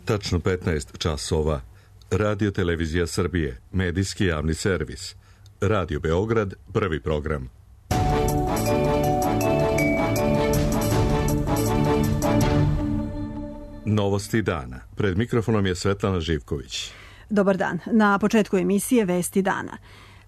Tačno 15 časova. Radio Televizija Srbije, medijski javni servis. Radio Beograd, prvi program. Novosti dana. Pred mikrofonom je Svetlana Živković. Dobar dan. Na početku emisije Vesti dana.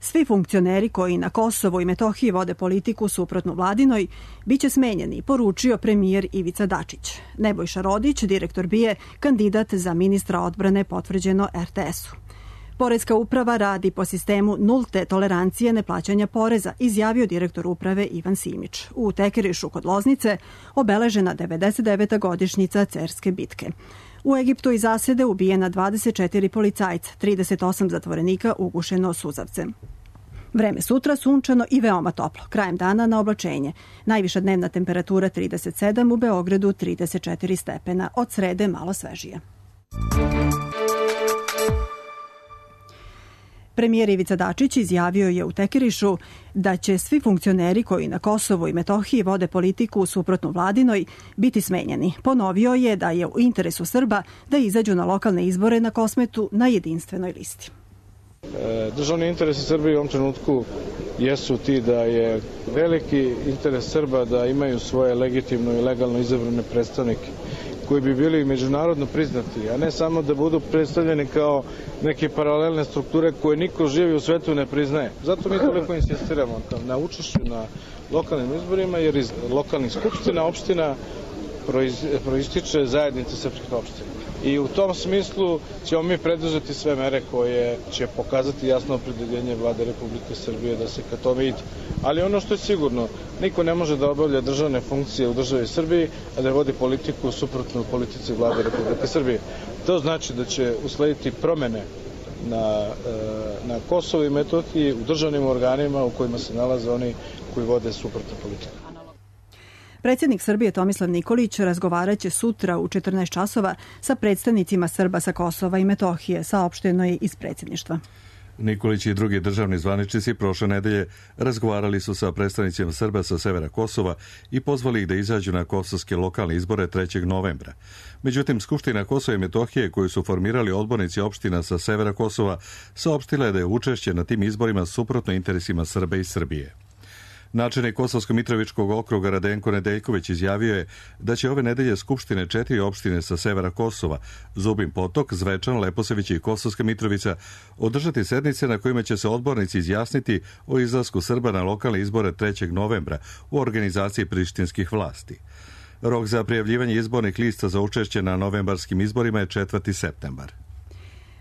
Svi funkcioneri koji na Kosovu i Metohiji vode politiku suprotno vladinoj biće smenjeni, poručio premijer Ivica Dačić. Nebojša Rodić, direktor BIA, kandidat za ministra odbrane, potvrđeno RTS-u. Poreska uprava radi po sistemu nulte tolerancije neplaćanja poreza, izjavio direktor uprave Ivan Simić. U Tekerišu kod Loznice obeležena 99. godišnjica Cerske bitke. U Egiptu i zasede ubijena 24 policajca, 38 zatvorenika ugušeno suzavcem. Vreme sutra sunčano i veoma toplo. Krajem dana na oblačenje. Najviša dnevna temperatura 37, u Beogradu 34 stepena. Od srede malo svežije. Premijer Ivica Dačić izjavio je u Tekerišu da će svi funkcioneri koji na Kosovu i Metohiji vode politiku suprotno vladinoj biti smenjeni. Ponovio je da je u interesu Srba da izađu na lokalne izbore na Kosmetu na jedinstvenoj listi. Državni interesi Srbije u ovom trenutku jesu ti da je veliki interes Srba da imaju svoje legitimno i legalno izabrane predstavnike koji bi bili međunarodno priznati, a ne samo da budu predstavljeni kao neke paralelne strukture koje niko živi u svetu ne priznaje. Zato mi toliko insistiramo na učešću na lokalnim izborima, jer iz lokalnih skupština opština proističe zajednica srpskih opština. I u tom smislu ćemo mi preduzeti sve mere koje će pokazati jasno opredeljenje Vlade Republike Srbije da se ka tome ide. Ali ono što je sigurno, niko ne može da obavlja državne funkcije u državi Srbiji, a da vodi politiku suprotnu politici Vlade Republike Srbije. To znači da će uslediti promene na Kosovu i Metohiji u državnim organima u kojima se nalaze oni koji vode suprotnu politiku. Predsjednik Srbije Tomislav Nikolić razgovaraće sutra u 14 časova sa predstavnicima Srba sa Kosova i Metohije, saopšteno je iz predsjedništva. Nikolić i drugi državni zvaničnici prošle nedelje razgovarali su sa predstavnicima Srba sa severa Kosova i pozvali ih da izađu na kosovske lokalne izbore 3. novembra. Međutim, Skupština Kosova i Metohije, koju su formirali odbornici opština sa severa Kosova, saopštila je da je učešće na tim izborima suprotno interesima Srba i Srbije. Načelnik Kosovsko-Mitrovičkog okruga Radenko Nedeljković izjavio je da će ove nedelje Skupštine 4 opštine sa severa Kosova, Zubin Potok, Zvečan, Leposavić i Kosovska Mitrovica, održati sednice na kojima će se odbornici izjasniti o izlasku Srba na lokalne izbore 3. novembra u organizaciji prištinskih vlasti. Rok za prijavljivanje izbornih lista za učešće na novembarskim izborima je 4. septembar.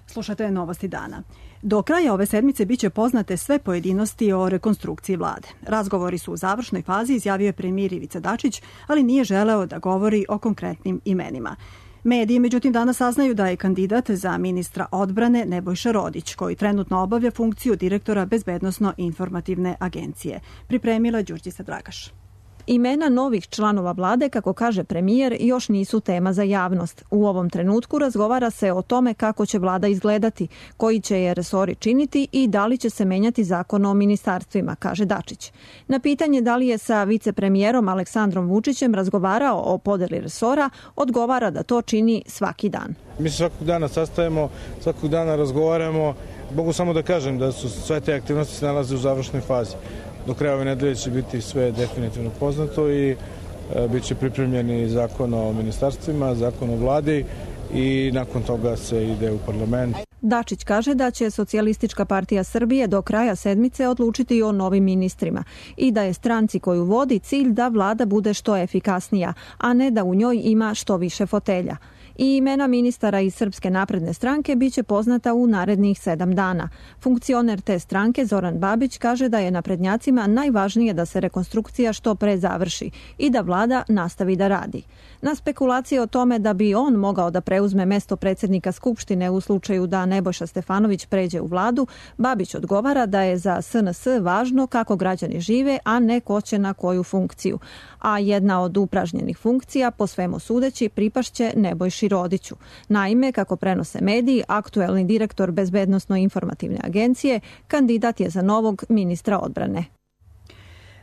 Slušate novosti dana. Do kraja ove sedmice biće poznate sve pojedinosti o rekonstrukciji vlade. Razgovori su u završnoj fazi, izjavio je premijer Ivica Dačić, ali nije želeo da govori o konkretnim imenima. Mediji, međutim, danas saznaju da je kandidat za ministra odbrane Nebojša Rodić, koji trenutno obavlja funkciju direktora Bezbednosno-informativne agencije. Pripremila Đurđica Dragaš. Imena novih članova vlade, kako kaže premijer, još nisu tema za javnost. U ovom trenutku razgovara se o tome kako će vlada izgledati, koji će je resori činiti i da li će se menjati zakon o ministarstvima, kaže Dačić. Na pitanje da li je sa vicepremijerom Aleksandrom Vučićem razgovarao o podeli resora, odgovara da to čini svaki dan. Mi se svakog dana sastajemo, svakog dana razgovaramo. Mogu samo da kažem da su sve te aktivnosti se nalaze u završnoj fazi. Do kraja ove nedelje će biti sve definitivno poznato i bit će pripremljeni zakon o ministarstvima, zakon o vladi i nakon toga se ide u parlament. Dačić kaže da će Socijalistička partija Srbije do kraja sedmice odlučiti o novim ministrima i da je stranci koju vodi cilj da vlada bude što efikasnija, a ne da u njoj ima što više fotelja. I imena ministara iz Srpske napredne stranke biće poznata u narednih 7 dana. Funkcioner te stranke Zoran Babić kaže da je naprednjacima najvažnije da se rekonstrukcija što pre završi i da vlada nastavi da radi. Na spekulacije o tome da bi on mogao da preuzme mesto predsjednika Skupštine u slučaju da Nebojša Stefanović pređe u vladu, Babić odgovara da je za SNS važno kako građani žive, a ne ko će na koju funkciju. A jedna od upražnjenih funkcija, po svemu sudeći, pripašće Nebojši Rodiću. Naime, kako prenose mediji, aktuelni direktor Bezbednosno-informativne agencije kandidat je za novog ministra odbrane.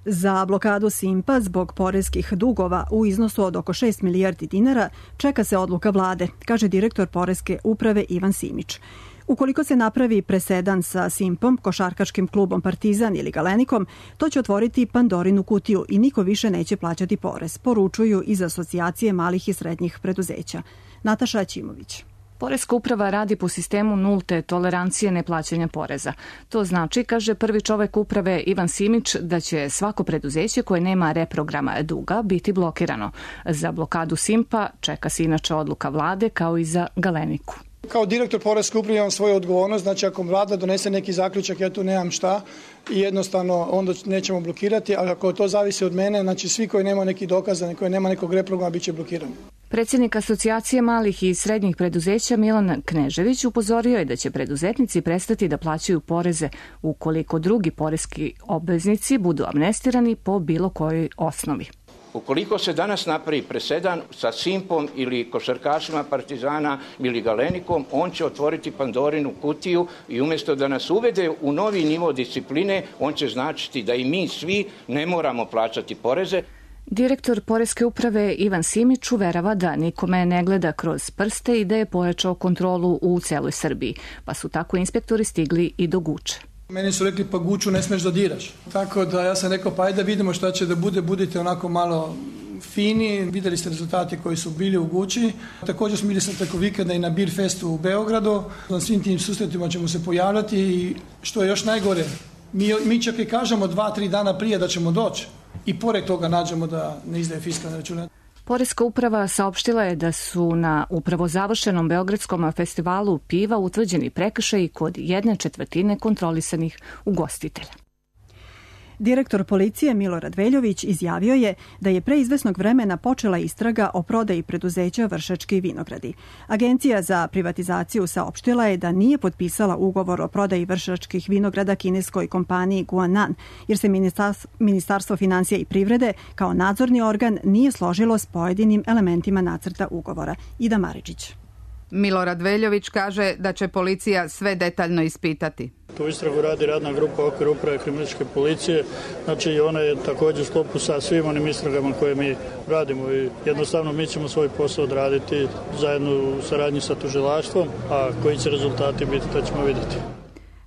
Za blokadu Simpa zbog poreskih dugova u iznosu od oko 6 milijardi dinara čeka se odluka vlade, kaže direktor Poreske uprave Ivan Simić. Ukoliko se napravi presedan sa Simpom, košarkaškim klubom Partizan ili Galenikom, to će otvoriti Pandorinu kutiju i niko više neće plaćati porez, poručuju iz Asocijacije malih i srednjih preduzeća. Nataša Ćimović. Poreska uprava radi po sistemu nulte tolerancije neplaćanja poreza. To znači, kaže prvi čovek uprave Ivan Simić, da će svako preduzeće koje nema reprograma duga biti blokirano. Za blokadu Simpa čeka se inače odluka vlade kao i za Galeniku. Kao direktor Poreske uprave imam svoju odgovornost, znači ako vlada donese neki zaključak, ja tu nemam šta i jednostavno onda nećemo blokirati, ali ako to zavisi od mene, znači svi koji nema neki dokaza, koji nema nekog reprograma, bit će blokirani. Predsjednik Asocijacije malih i srednjih preduzeća Milan Knežević upozorio je da će preduzetnici prestati da plaćaju poreze ukoliko drugi poreski obveznici budu amnestirani po bilo kojoj osnovi. Ukoliko se danas napravi presedan sa Simpom ili košarkašima Partizana ili Galenikom, on će otvoriti Pandorinu kutiju i umjesto da nas uvede u novi nivo discipline, on će značiti da i mi svi ne moramo plaćati poreze. Direktor Poreske uprave Ivan Simić uverava da nikome ne gleda kroz prste i da je pojačao kontrolu u celoj Srbiji, pa su tako inspektori stigli i do Guče. Meni su rekli pa Guču ne smeš da diraš. Tako da ja sam rekao pa ajde da vidimo šta će da bude, budite onako malo fini. Videli ste rezultati koji su bili u Guči. Također smo bili sad preko vikenda i na Beer Festu u Beogradu. Na svim tim susretima ćemo se pojavljati i što je još najgore, mi čak i kažemo 2-3 dana prije da ćemo doći i pored toga nađemo da ne izdaje fiskalne račune. Poreska uprava saopštila je da su na upravo završenom Beogradskom festivalu piva utvrđeni prekršaji kod 1/4 kontrolisanih ugostitelja. Direktor policije Milorad Veljović izjavio je da je pre izvesnog vremena počela istraga o prodaji preduzeća Vršački vinogradi. Agencija za privatizaciju saopštila je da nije potpisala ugovor o prodaji Vršačkih vinograda kineskoj kompaniji Guanan, jer se Ministarstvo finansija i privrede kao nadzorni organ nije složilo s pojedinim elementima nacrta ugovora. Ida Maričić. Milorad Veljović kaže da će policija sve detaljno ispitati. Tu istragu radi radna grupa okviru uprave kriminalističke policije, znači ona je također u sklopu sa svim onim istragama koje mi radimo i jednostavno mi ćemo svoj posao odraditi zajedno u saradnji sa tužilaštvom, a koji će rezultati biti, to ćemo vidjeti.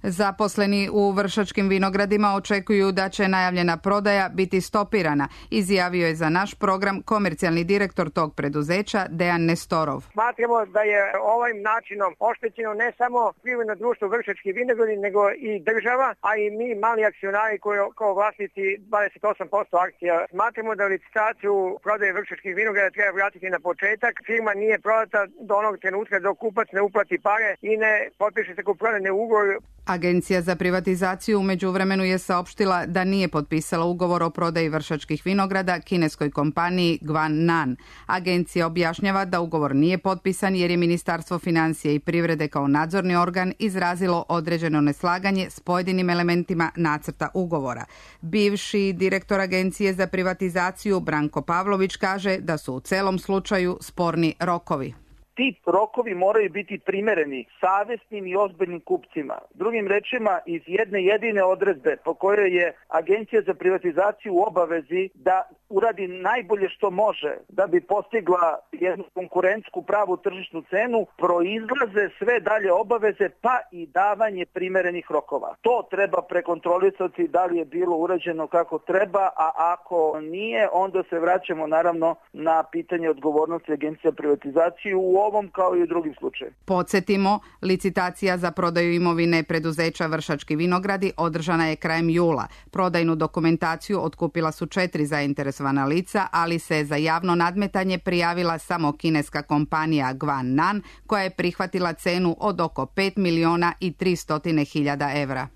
Zaposleni u Vršačkim vinogradima očekuju da će najavljena prodaja biti stopirana, izjavio je za naš program komercijalni direktor tog preduzeća Dejan Nestorov. Smatramo da je ovim načinom oštećeno ne samo privredno društvo Vršački vinogradi, nego i država, a i mi mali akcionari koji kao vlasnici 28% akcija. Smatramo da licitaciju prodaje Vršačkih vinograda treba vratiti na početak. Firma nije prodata do onog trenutka dok kupac ne uplati pare i ne potpiše se kupoprodajni ugovor. Agencija za privatizaciju u međuvremenu je saopštila da nije potpisala ugovor o prodaji Vršačkih vinograda kineskoj kompaniji Guanan. Agencija objašnjava da ugovor nije potpisan jer je Ministarstvo financija i privrede kao nadzorni organ izrazilo određeno neslaganje s pojedinim elementima nacrta ugovora. Bivši direktor Agencije za privatizaciju Branko Pavlović kaže da su u celom slučaju sporni rokovi. Ti rokovi moraju biti primereni savjesnim i ozbiljnim kupcima. Drugim rečima, iz jedne jedine odredbe po kojoj je Agencija za privatizaciju u obavezi da uradi najbolje što može da bi postigla jednu konkurentsku pravu tržišnu cenu, proizlaze sve dalje obaveze pa i davanje primerenih rokova. To treba prekontrolisati da li je bilo urađeno kako treba, a ako nije, onda se vraćamo naravno na pitanje odgovornosti Agencije za privatizaciju u ovom kao i u drugim slučajevima. Podsjetimo, licitacija za prodaju imovine preduzeća Vršački vinogradi održana je krajem jula. Prodajnu dokumentaciju otkupila su 4 zainteresovana lica, ali se za javno nadmetanje prijavila samo kineska kompanija Guanan, koja je prihvatila cenu od oko 5.300.000 evra.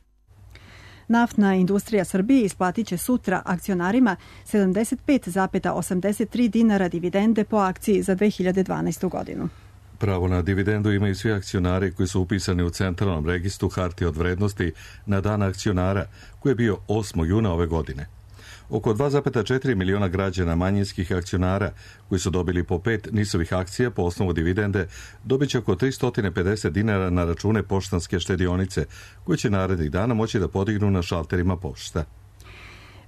Naftna industrija Srbije isplatit će sutra akcionarima 75,83 dinara dividende po akciji za 2012. godinu. Pravo na dividendu imaju svi akcionari koji su upisani u Centralnom registru hartija od vrednosti na dan akcionara, koji je bio 8. juna ove godine. Oko 2,4 miliona građana manjinskih akcionara koji su dobili po 5 NIS-ovih akcija po osnovu dividende dobit će oko 350 dinara na račune poštanske štedionice koje će narednih dana moći da podignu na šalterima pošta.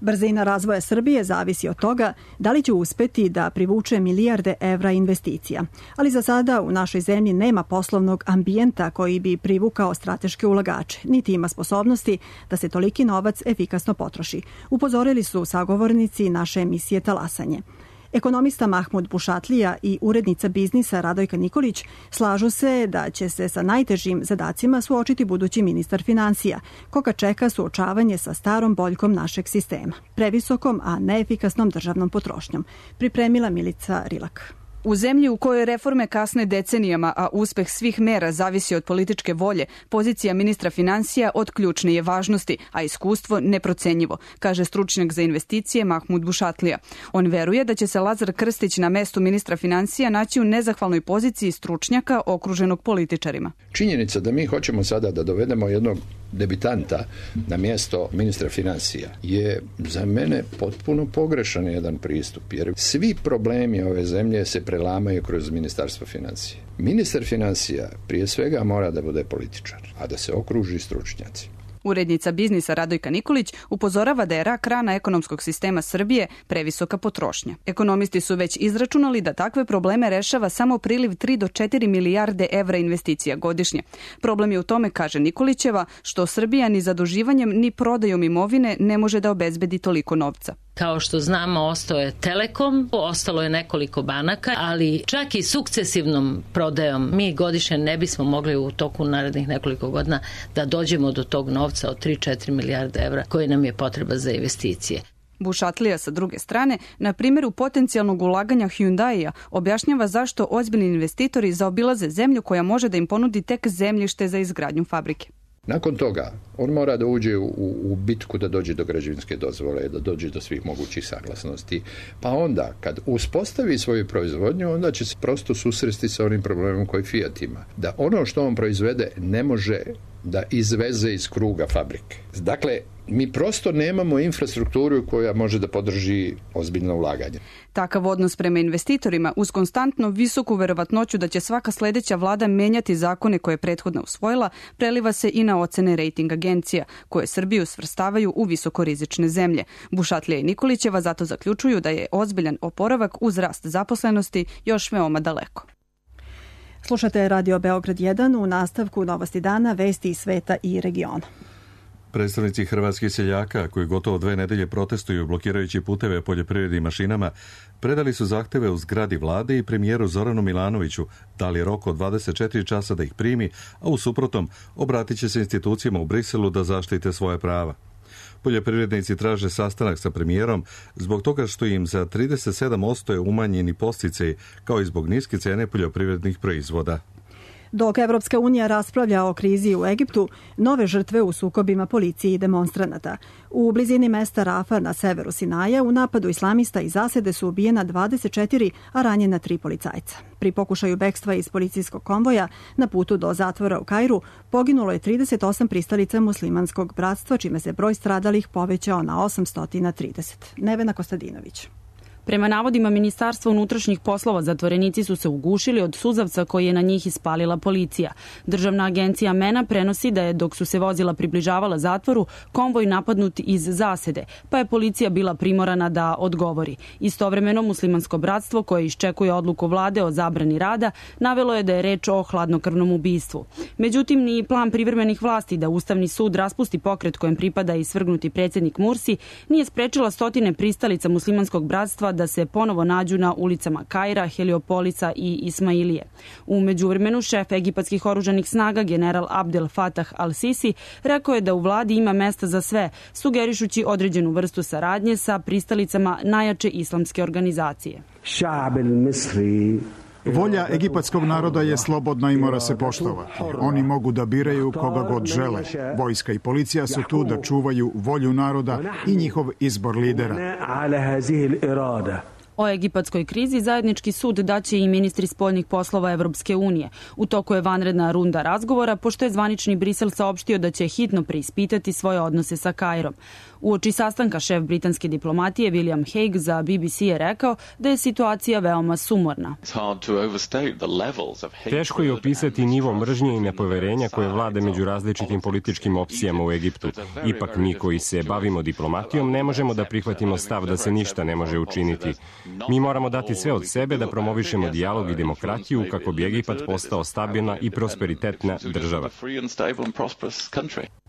Brzina razvoja Srbije zavisi od toga da li će uspeti da privuče milijarde evra investicija. Ali za sada u našoj zemlji nema poslovnog ambijenta koji bi privukao strateške ulagače, niti ima sposobnosti da se toliki novac efikasno potroši. Upozorili su sagovornici naše emisije Talasanje. Ekonomista Mahmud Bušatlija i urednica biznisa Radojka Nikolić slažu se da će se sa najtežim zadacima suočiti budući ministar finansija, koga čeka suočavanje sa starom boljkom našeg sistema, previsokom, a neefikasnom državnom potrošnjom. Pripremila Milica Rilak. U zemlji u kojoj reforme kasne decenijama, a uspeh svih mera zavisi od političke volje, pozicija ministra finansija od ključne je važnosti, a iskustvo neprocenjivo, kaže stručnjak za investicije Mahmud Bušatlija. On veruje da će se Lazar Krstić na mestu ministra finansija naći u nezahvalnoj poziciji stručnjaka okruženog političarima. Činjenica da mi hoćemo sada da dovedemo jednog debitanta na mjesto ministra financija je za mene potpuno pogrešan jedan pristup, jer svi problemi ove zemlje se prelamaju kroz ministarstvo financija. Ministar financija prije svega mora da bude političar, a da se okruži stručnjaci. Urednica biznisa Radojka Nikolić upozorava da je rak rana ekonomskog sistema Srbije previsoka potrošnja. Ekonomisti su već izračunali da takve probleme rešava samo priliv 3 do 4 milijarde evra investicija godišnje. Problem je u tome, kaže Nikolićeva, što Srbija ni zaduživanjem ni prodajom imovine ne može da obezbedi toliko novca. Kao što znamo, ostao je Telekom, ostalo je nekoliko banaka, ali čak i sukcesivnom prodajom mi godišnje ne bismo mogli u toku narednih nekoliko godina da dođemo do tog novca od 3-4 milijarde evra koji nam je potreba za investicije. Bušatlija sa druge strane, na primjeru potencijalnog ulaganja Hyundai-a, objašnjava zašto ozbiljni investitori zaobilaze zemlju koja može da im ponudi tek zemljište za izgradnju fabrike. Nakon toga, on mora da uđe u bitku da dođe do građevinske dozvole, da dođe do svih mogućih saglasnosti. Pa onda, kad uspostavi svoju proizvodnju, onda će se prosto susresti sa onim problemom koji Fiat ima. Da ono što on proizvede ne može da izveze iz kruga fabrike. Dakle, mi prosto nemamo infrastrukturu koja može da podrži ozbiljno ulaganje. Takav odnos prema investitorima uz konstantno visoku verovatnoću da će svaka sledeća vlada menjati zakone koje je prethodno usvojila, preliva se i na ocene rating agencija, koje Srbiju svrstavaju u visokorizične zemlje. Bušatlija i Nikolićeva zato zaključuju da je ozbiljan oporavak uz rast zaposlenosti još veoma daleko. Slušate Radio Beograd 1, u nastavku Novosti dana, vesti iz sveta i regiona. Predstavnici hrvatskih seljaka, koji gotovo 2 nedelje protestuju blokirajući puteve poljoprivrednim mašinama, predali su zahteve u zgradi vlade i premijeru Zoranu Milanoviću, dali rok od 24 časa da ih primi, a u suprotnom obratit će se institucijama u Briselu da zaštite svoje prava. Poljoprivrednici traže sastanak sa premijerom zbog toga što im za 37% je umanjeni podsticaj, kao i zbog niske cene poljoprivrednih proizvoda. Dok Evropska unija raspravlja o krizi u Egiptu, nove žrtve u sukobima policije i demonstranata. U blizini mesta Rafa na severu Sinaja u napadu islamista iz zasede su ubijena 24, a ranjena 3 policajca. Pri pokušaju bekstva iz policijskog konvoja na putu do zatvora u Kairu poginulo je 38 pristalica muslimanskog bratstva, čime se broj stradalih povećao na 830. Nevena Kostadinović. Prema navodima Ministarstva unutrašnjih poslova, zatvorenici su se ugušili od suzavca koji je na njih ispalila policija. Državna agencija MENA prenosi da je, dok su se vozila približavala zatvoru, konvoj napadnut iz zasede, pa je policija bila primorana da odgovori. Istovremeno, muslimansko bratstvo, koje iščekuje odluku vlade o zabrani rada, navelo je da je reč o hladnokrvnom ubistvu. Međutim, ni plan privremenih vlasti da Ustavni sud raspusti pokret kojem pripada i svrgnuti predsjednik Mursi nije sprečila stotine pristalica muslimanskog bratstva da se ponovo nađu na ulicama Kaira, Heliopolisa i Ismailije. U međuvremenu, šef egipatskih oružanih snaga, general Abdel Fattah al-Sisi, rekao je da u vladi ima mesta za sve, sugerišući određenu vrstu saradnje sa pristalicama najjače islamske organizacije. Volja egipatskog naroda je slobodna i mora se poštovati. Oni mogu da biraju koga god žele. Vojska i policija su tu da čuvaju volju naroda i njihov izbor lidera. O egipatskoj krizi zajednički sud daće i ministri spoljnih poslova Evropske unije. U toku je vanredna runda razgovora, pošto je zvanični Brisel saopštio da će hitno preispitati svoje odnose sa Kairom. Uoči sastanka šef britanske diplomatije William Hague za BBC je rekao da je situacija veoma sumorna. Teško je opisati nivo mržnje i nepoverenja koje vlade među različitim političkim opcijama u Egiptu. Ipak mi koji se bavimo diplomatijom ne možemo da prihvatimo stav da se ništa ne može učiniti. Mi moramo dati sve od sebe da promovišemo dijalog i demokratiju kako bi Egipat postao stabilna i prosperitetna država.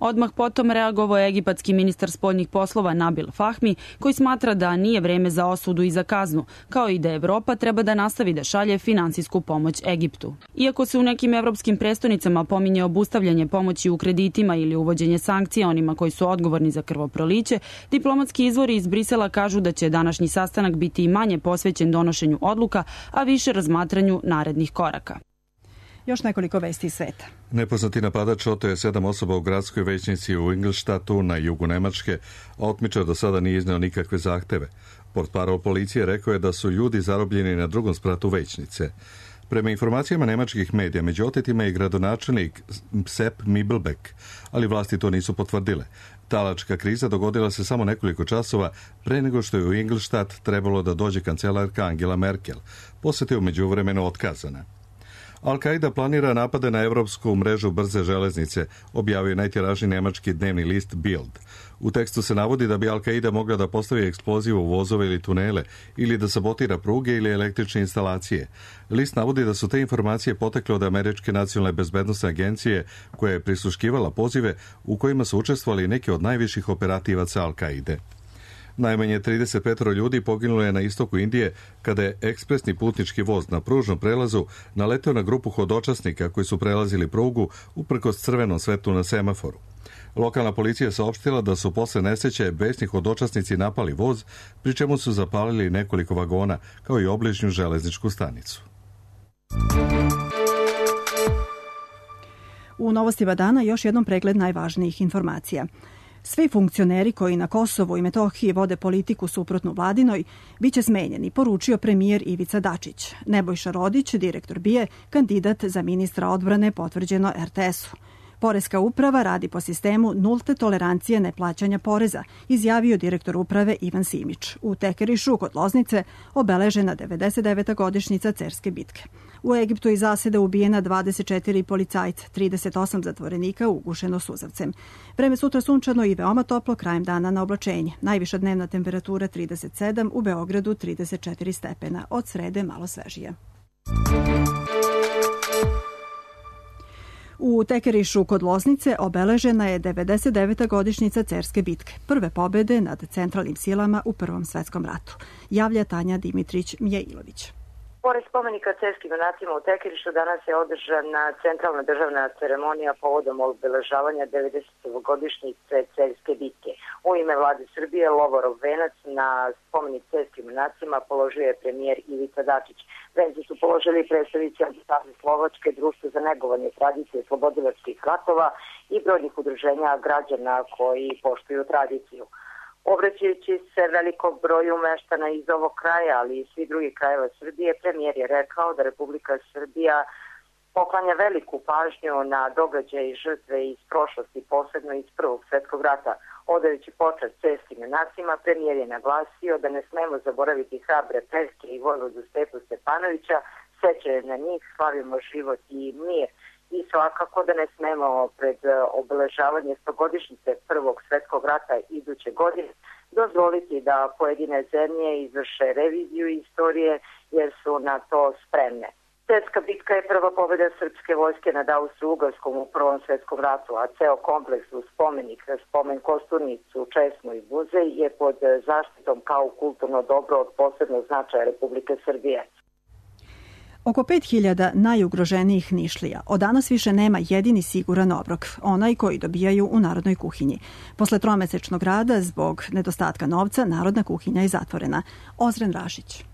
Odmah potom reagovao je egipatski ministar spoljnih poslova Nabil Fahmi, koji smatra da nije vreme za osudu i za kaznu, kao i da Evropa treba da nastavi da šalje finansijsku pomoć Egiptu. Iako se u nekim evropskim prestonicama pominje obustavljanje pomoći u kreditima ili uvođenje sankcija onima koji su odgovorni za krvoproliće, diplomatski izvori iz Brisela kažu da će današnji sastanak biti i manje posvećen donošenju odluka, a više razmatranju narednih koraka. Još nekoliko vesti iz sveta. Nepoznati napadač oteo je 7 osoba u gradskoj većnici u Ingolstadtu na jugu Nemačke, a otmičar do sada nije izneo nikakve zahteve. Portparol policije rekao je da su ljudi zarobljeni na drugom spratu većnice. Prema informacijama nemačkih medija, među otetima je gradonačelnik Sepp Mibelbeck, ali vlasti to nisu potvrdile. Talačka kriza dogodila se samo nekoliko časova pre nego što je u Ingolstadt trebalo da dođe kancelarka Angela Merkel. Poseta je u međuvremenu otkazana. Al-Qaida planira napade na evropsku mrežu brze železnice, objavio najtiražniji nemački dnevni list Bild. U tekstu se navodi da bi Al-Qaida mogla da postavi eksploziv u vozove ili tunele, ili da sabotira pruge ili električne instalacije. List navodi da su te informacije potekle od Američke nacionalne bezbednosne agencije, koja je prisluškivala pozive u kojima su učestvovali neki od najviših operativaca Al-Qaide. Najmanje 35 ljudi poginulo je na istoku Indije kada je ekspresni putnički voz na pružnom prelazu naleteo na grupu hodočasnika koji su prelazili prugu uprkos crvenom svetlu na semaforu. Lokalna policija saopštila da su posle nesreće besni hodočasnici napali voz, pri čemu su zapalili nekoliko vagona, kao i obližnju železničku stanicu. U novostima dana još jednom pregled najvažnijih informacija. Svi funkcioneri koji na Kosovu i Metohiji vode politiku suprotnu vladinoj biće smenjeni, poručio premijer Ivica Dačić. Nebojša Rodić, direktor BIA, kandidat za ministra odbrane, potvrđeno RTS-u. Poreska uprava radi po sistemu nulte tolerancije neplaćanja poreza, izjavio direktor uprave Ivan Simić. U Tekerišu kod Loznice obeležena 99. godišnjica Cerske bitke. U Egiptu iz zasede ubijena 24 policajca, 38 zatvorenika ugušeno suzavcem. Vreme sutra sunčano i veoma toplo, krajem dana na oblačenje. Najviša dnevna temperatura 37, u Beogradu 34 stepena. Od srede malo svežije. U Tekerišu kod Loznice obeležena je 99. godišnjica Cerske bitke, prve pobede nad centralnim silama u Prvom svetskom ratu, javlja Tanja Dimitrić-Mjeilović. Pored spomenika cerskim junacima u Tekerišu danas je održana centralna državna ceremonija povodom obeležavanja 90. godišnjice Cerske bitke. U ime vlade Srbije Lovorov venac na spomenik cerskim junacima položio je premijer Ivica Dačić. Venci su položili predstavnici ambasade Slovačke, Društvo za negovanje tradicije slobodilačkih ratova i brojnih udruženja građana koji poštuju tradiciju. Obraćajući se velikom broju meštana iz ovog kraja, ali i svih drugih krajeva Srbije, premijer je rekao da Republika Srbija poklanja veliku pažnju na događaje i žrtve iz prošlosti, posebno iz Prvog svjetskog rata. Odajući počast cerskim junacima, premijer je naglasio da ne smemo zaboraviti hrabre Perke i vojvodu Stepu Stepanovića, sećanje na njih, slavimo život i mir. I svakako da ne smemo pred obeležavanje 100-godišnjice Prvog svjetskog rata iduće godine dozvoliti da pojedine zemlje izvrše reviziju istorije jer su na to spremne. Cerska bitka je prva pobjeda srpske vojske nad Austro-Ugarskom u Prvom svjetskom ratu, a ceo kompleks uz spomenik, spomen kosturnicu, česmu i muzej je pod zaštitom kao kulturno dobro od posebnog značaja Republike Srbije. Oko 5000 najugroženijih Nišlija od danas više nema jedini siguran obrok, onaj koji dobijaju u Narodnoj kuhinji. Posle tromesečnog rada zbog nedostatka novca, Narodna kuhinja je zatvorena. Ozren Rašić.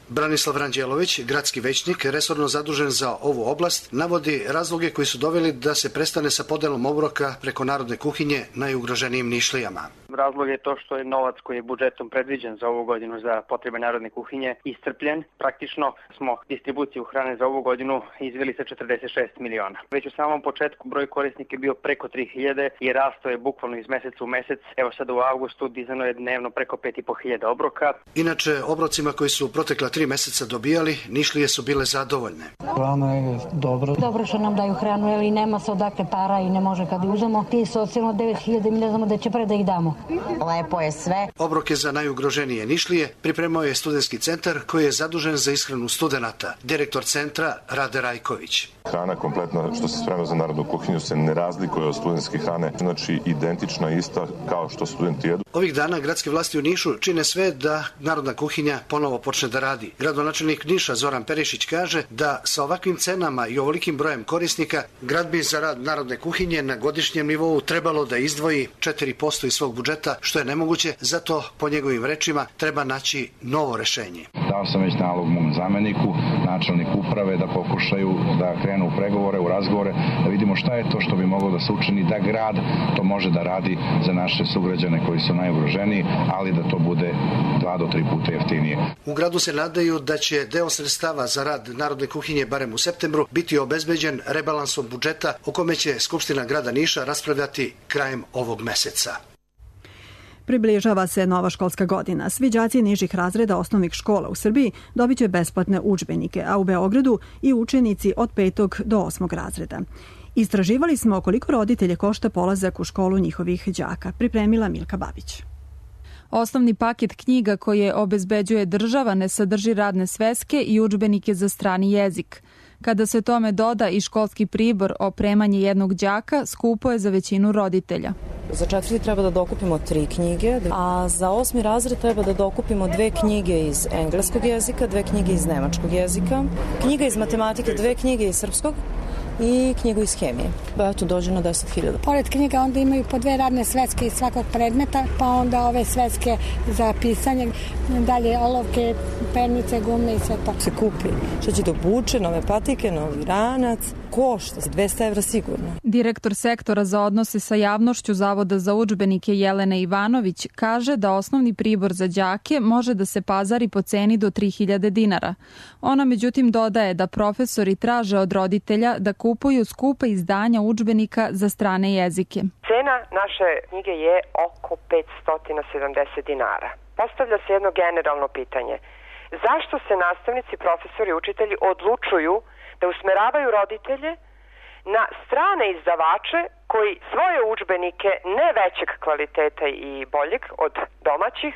Branislav Ranđelović, gradski većnik, resorno zadužen za ovu oblast, navodi razloge koji su doveli da se prestane sa podelom obroka preko narodne kuhinje najugroženijim Nišlijama. Razlog je to što je novac koji je budžetom predviđen za ovu godinu za potrebe narodne kuhinje iscrpljen. Praktično smo distribuciju hrane za ovu godinu izveli sa 46 miliona. Već u samom početku broj korisnika je bio preko 3000 i rasto je bukvalno iz meseca u mesec. Evo sada u avgustu dizano je dnevno preko 5500 obroka. Inače, obrocima koji su protekla 3 meseca dobijali, Nišlije su bile zadovoljne. Hrana je dobro. Dobro što nam daju hranu, jer i nema se odakle para i ne može kad uzemo. Ti socijalno 9000 mi ne znamo da će pre da ih damo. Lepo je sve. Obroke za najugroženije Nišlije pripremao je studentski centar koji je zadužen za ishranu studenata. Direktor centra Rade Rajković. Hrana kompletna što se sprema za narodnu kuhinju se ne razlikuje od studentske hrane, znači identična ista kao što studenti jedu. Ovih dana gradske vlasti u Nišu čine sve da narodna kuhinja ponovo počne da radi. Gradonačelnik Niša Zoran Perišić kaže da sa ovakvim cenama i ovolikim brojem korisnika grad bi za rad narodne kuhinje na godišnjem nivou trebalo da izdvoji 4% iz svog budžeta, što je nemoguće, zato po njegovim rečima treba naći novo rešenje. Dao sam već nalog mom zameniku, načelniku uprave da pokušaju da krenu u pregovore, u razgovore, da vidimo šta je to što bi moglo da se učini da grad to može da radi za naše sugrađane koji su najugroženiji, ali da to bude 2 do 3 puta jeftinije. U gradu se nadaju da će deo sredstava za rad narodne kuhinje barem u septembru biti obezbeđen rebalansom budžeta o kome će Skupština grada Niša raspravljati krajem ovog meseca. Približava se nova školska godina. Svi đaci nižih razreda osnovnih škola u Srbiji dobit će besplatne udžbenike, a u Beogradu i učenici od 5. do 8. razreda. Istraživali smo koliko roditelje košta polazak u školu njihovih đaka. Pripremila Milka Babić. Osnovni paket knjiga koje obezbeđuje država ne sadrži radne sveske i udžbenike za strani jezik. Kada se tome doda i školski pribor, opremanje jednog đaka skupo je za većinu roditelja. Za 4. treba da dokupimo 3 knjige, a za 8. razred treba da dokupimo 2 knjige iz engleskog jezika, 2 knjige iz nemačkog jezika, knjiga iz matematike, 2 knjige iz srpskog i knjigu iz hemije. Eto, dođe na 10.000. Pored knjiga onda imaju po 2 radne sveske iz svakog predmeta, pa onda ove sveske za pisanje, dalje olovke, pernice, gume i sve to. Se kupi što će da obuče, nove patike, novi ranac, košta 200 evra sigurno. Direktor sektora za odnose sa javnošću Zavoda za udžbenike Jelena Ivanović kaže da osnovni pribor za đake može da se pazari po ceni do 3000 dinara. Ona međutim dodaje da profesori traže od roditelja da kupuju skupa izdanja udžbenika za strane jezike. Cena naše knjige je oko 570 dinara. Postavlja se jedno generalno pitanje. Zašto se nastavnici, profesori, učitelji odlučuju da usmeravaju roditelje na strane izdavače koji svoje udžbenike ne većeg kvaliteta i boljeg od domaćih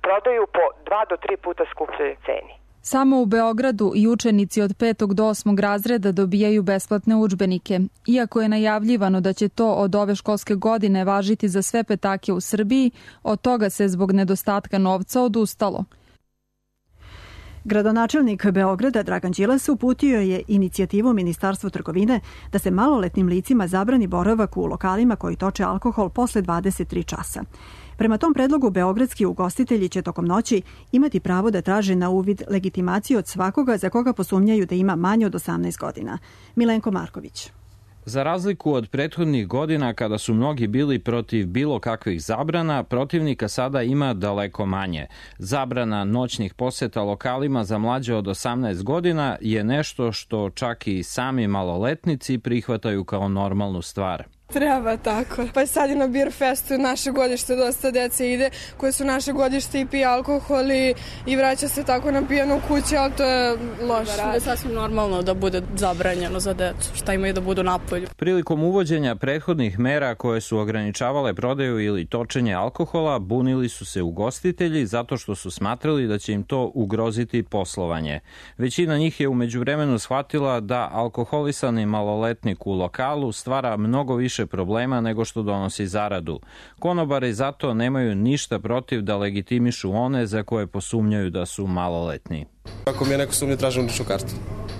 prodaju po 2 do 3 puta skupljoj ceni? Samo u Beogradu i učenici od 5. do 8. razreda dobijaju besplatne udžbenike. Iako je najavljivano da će to od ove školske godine važiti za sve petake u Srbiji, od toga se zbog nedostatka novca odustalo. Gradonačelnik Beograda Dragan Đilas uputio je inicijativu Ministarstvu trgovine da se maloletnim licima zabrani boravak u lokalima koji toče alkohol posle 23 časa. Prema tom predlogu, beogradski ugostitelji će tokom noći imati pravo da traže na uvid legitimaciju od svakoga za koga posumnjaju da ima manje od 18 godina. Milenko Marković. Za razliku od prethodnih godina kada su mnogi bili protiv bilo kakvih zabrana, protivnika sada ima daleko manje. Zabrana noćnih poseta lokalima za mlađe od 18 godina je nešto što čak i sami maloletnici prihvataju kao normalnu stvar. Treba tako. Pa sad je na Beer Festu naše godište, dosta dece ide koje su naše godište i pije alkohol i vraća se tako na pijanu kući, ali to je loše. Da je sasvim normalno da bude zabranjeno za decu, šta imaju da budu napolju. Prilikom uvođenja prethodnih mera koje su ograničavale prodaju ili točenje alkohola, bunili su se ugostitelji zato što su smatrali da će im to ugroziti poslovanje. Većina njih je u međuvremenu shvatila da alkoholisani maloletnik u lokalu stvara mnogo više problema nego što donosi zaradu. Konobari zato nemaju ništa protiv da legitimišu one za koje posumnjaju da su maloletni. Ako mi je neko sumnje, tražim ličnu kartu.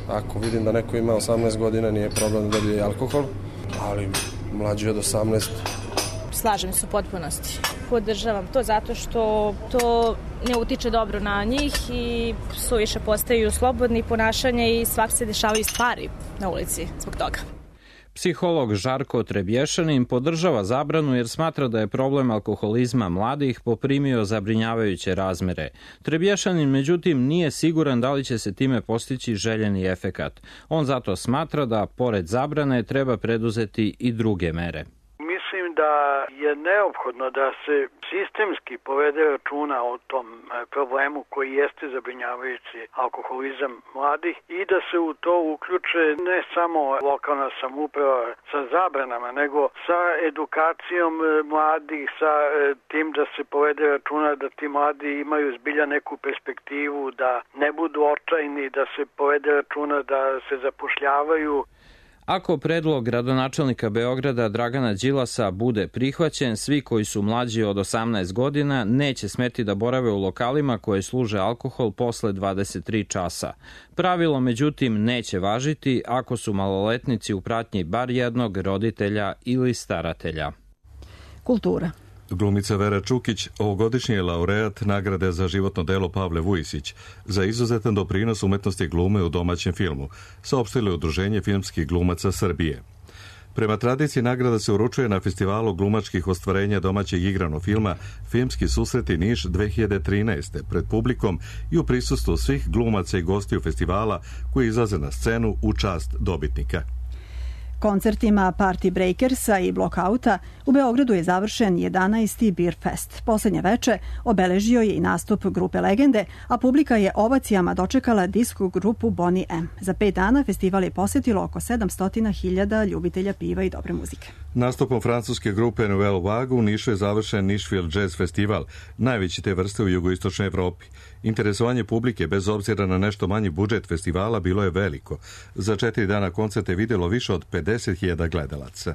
Ako vidim da neko ima 18 godina, nije problem da dobije alkohol, ali mlađi od 18 Slažem se u potpunosti. Podržavam to zato što to ne utiče dobro na njih i suviše postaju slobodni ponašanje i svak se dešavaju stvari na ulici zbog toga. Psiholog Žarko Trebješanin podržava zabranu jer smatra da je problem alkoholizma mladih poprimio zabrinjavajuće razmere. Trebješanin, međutim, nije siguran da li će se time postići željeni efekat. On zato smatra da, pored zabrane, treba preduzeti i druge mere. Mislim da je neophodno da se sistemski povede računa o tom problemu koji jeste zabrinjavajući alkoholizam mladih i da se u to uključe ne samo lokalna samouprava sa zabranama, nego sa edukacijom mladih, sa tim da se povede računa da ti mladi imaju zbilja neku perspektivu, da ne budu očajni, da se povede računa da se zapošljavaju. Ako predlog gradonačelnika Beograda Dragana Đilasa bude prihvaćen, svi koji su mlađi od 18 godina neće smeti da borave u lokalima koje služe alkohol posle 23 časa. Pravilo, međutim, neće važiti ako su maloletnici u pratnji bar jednog roditelja ili staratelja. Kultura. Glumica Vera Čukić ovogodišnji je laureat nagrade za životno delo Pavle Vujisić za izuzetan doprinos umetnosti glume u domaćem filmu, saopštilo je Udruženje filmskih glumaca Srbije. Prema tradiciji nagrada se uručuje na festivalu glumačkih ostvarenja domaćeg igranog filma Filmski susreti Niš 2013. pred publikom i u prisustvu svih glumaca i gostiju festivala koji izlaze na scenu u čast dobitnika. Koncertima Party Breakersa i Blockouta u Beogradu je završen 11. Beer Fest. Poslednje veče obeležio je i nastup grupe Legende, a publika je ovacijama dočekala disko grupu Bonnie M. Za 5 dana festival je posetilo oko 700.000 ljubitelja piva i dobre muzike. Nastupom francuske grupe Nouvelle Vague u Nišu je završen Nišville Jazz Festival, najveći te vrste u jugoistočnoj Evropi. Interesovanje publike, bez obzira na nešto manji budžet festivala, bilo je veliko. Za 4 dana koncerte vidjelo više od 50.000 gledalaca.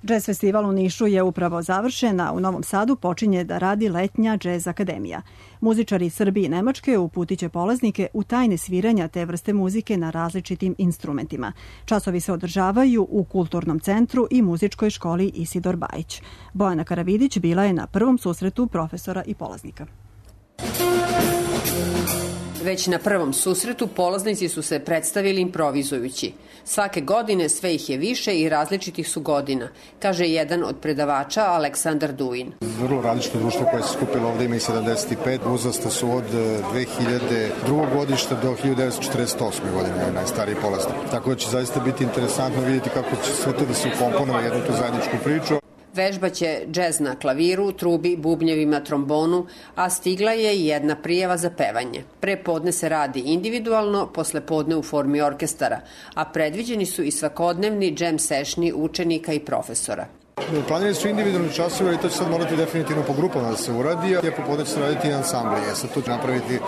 Jazz festival u Nišu je upravo završen, a u Novom Sadu počinje da radi letnja Jazz akademija. Muzičari iz Srbije i Nemačke uputiće polaznike u tajne sviranja te vrste muzike na različitim instrumentima. Časovi se održavaju u Kulturnom centru i muzičkoj školi Isidor Bajić. Bojana Karavidić bila je na prvom susretu profesora i polaznika. Već na prvom susretu polaznici su se predstavili improvizujući. Svake godine sve ih je više i različitih su godina, kaže jedan od predavača Aleksandar Duin. Vrlo različito društvo koje se skupilo ovde ima i 75, uzrasta su od 2002. godišta do 1948. godine, najstariji polaznik. Tako da će zaista biti interesantno vidjeti kako će sve to da se ukomponuje jednu tu zajedničku priču. Vežbaće džez na klaviru, trubi, bubnjevima, trombonu, a stigla je i jedna prijava za pevanje. Pre podne se radi individualno, posle podne u formi orkestara, a predviđeni su i svakodnevni džem sešni učenika i profesora. Planirani su individualni časovi, ali to će sad morati definitivno po grupama da se uradi, a popodne će se raditi i ansambli. Sad tu će napraviti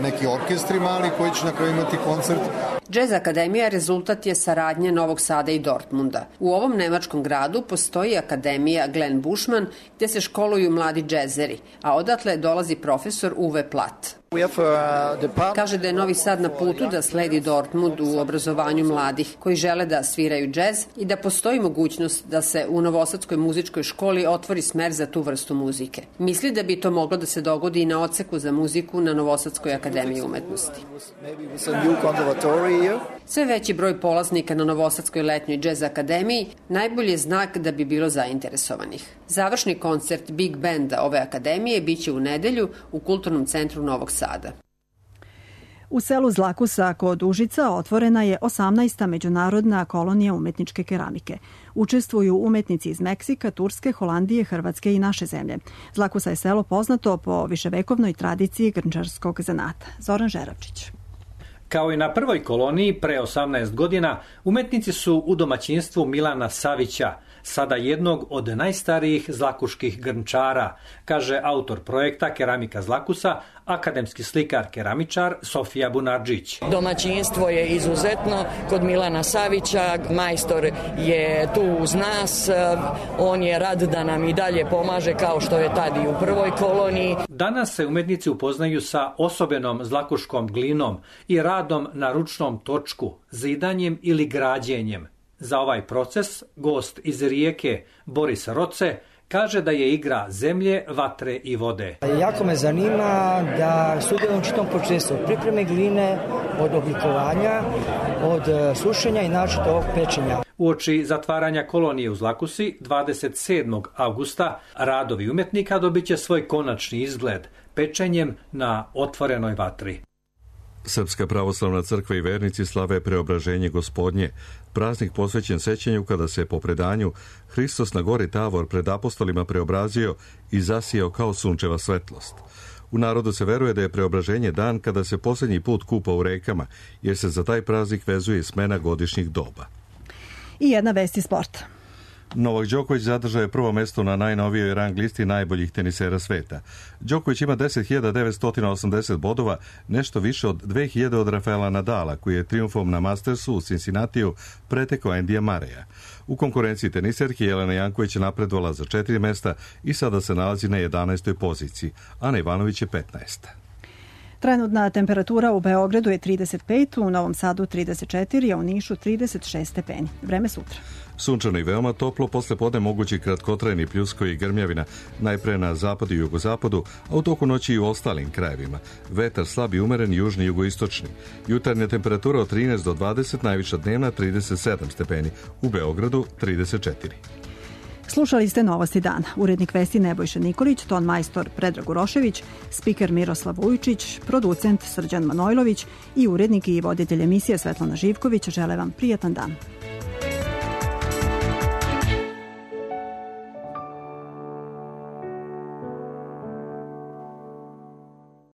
neki orkestri mali koji će na kraju imati koncert. Jazz akademija rezultat je saradnje Novog Sada i Dortmunda. U ovom nemačkom gradu postoji akademija Glenn Bushman gde se školuju mladi džezeri, a odatle dolazi profesor Uwe Platt. Kaže da je Novi Sad na putu da sledi Dortmund u obrazovanju mladih koji žele da sviraju džez i da postoji mogućnost da se u Novosadskoj muzičkoj školi otvori smer za tu vrstu muzike. Misli da bi to moglo da se dogodi i na odseku za muziku na Novosadskoj akademiji umetnosti. Sve veći broj polaznika na Novosadskoj letnjoj džez akademiji najbolji je znak da bi bilo zainteresovanih. Završni koncert Big Banda ove akademije biće u nedelju u Kulturnom centru Novog Sada. U selu Zlakusa kod Užica otvorena je 18. međunarodna kolonija umetničke keramike. Učestvuju umetnici iz Meksika, Turske, Holandije, Hrvatske i naše zemlje. Zlakusa je selo poznato po viševekovnoj tradiciji grnčarskog zanata. Zoran Žeravčić. Kao i na prvoj koloniji pre 18 godina, umetnici su u domaćinstvu Milana Savića, sada jednog od najstarijih zlakuških grnčara, kaže autor projekta Keramika Zlakusa, akademski slikar keramičar Sofija Bunardžić. Domaćinstvo je izuzetno kod Milana Savića, majstor je tu uz nas, on je rad da nam i dalje pomaže kao što je tad i u prvoj koloniji. Danas se umetnici upoznaju sa osobenom zlakuškom glinom i radom na ručnom točku, zidanjem ili građenjem. Za ovaj proces gost iz Rijeke, Boris Roce, Kaže da je igra zemlje, vatre i vode. Jako me zanima da sudjelujem u čitom procesu od pripreme gline, od oblikovanja, od sušenja i naročito ovog pečenja. Uoči zatvaranja kolonije u Zlakusi 27. avgusta radovi umetnika dobit će svoj konačni izgled pečenjem na otvorenoj vatri. Srpska pravoslavna crkva i vernici slave Preobraženje Gospodnje, praznik posvećen sećanju kada se po predanju Hristos na gori Tavor pred apostolima preobrazio i zasijao kao sunčeva svetlost. U narodu se veruje da je Preobraženje dan kada se posljednji put kupa u rekama, jer se za taj praznik vezuje smena godišnjih doba. I jedna vest iz sporta. Novak Đoković zadržao je prvo mesto na najnovijoj rang listi najboljih tenisera sveta. Đoković ima 10.980 bodova, nešto više od 2.000 od Rafaela Nadala, koji je trijumfom na Mastersu u Cincinnatiju pretekao Endija Mareja. U konkurenciji teniserki Jelena Janković je napredovala za 4 mesta i sada se nalazi na 11. poziciji. Ana Ivanović je 15. Trenutna temperatura u Beogradu je 35, u Novom Sadu 34, a u Nišu 36 stepeni. Vreme sutra. Sunčano i veoma toplo, posle podne mogući kratkotrajni pljuskovi i grmljavina, najpre na zapadu i jugozapadu, a u toku noći i u ostalim krajevima. Vetar slab i umeren, južni i jugoistočni. Jutarnja temperatura od 13 do 20, najviša dnevna 37 stepeni, u Beogradu 34. Slušali ste Novosti dana. Urednik vesti Nebojša Nikolić, ton majstor Predrag Urošević, spiker Miroslav Vujčić, producent Srđan Manojlović i urednik i voditelj emisije Svetlana Živković žele vam prijatan dan.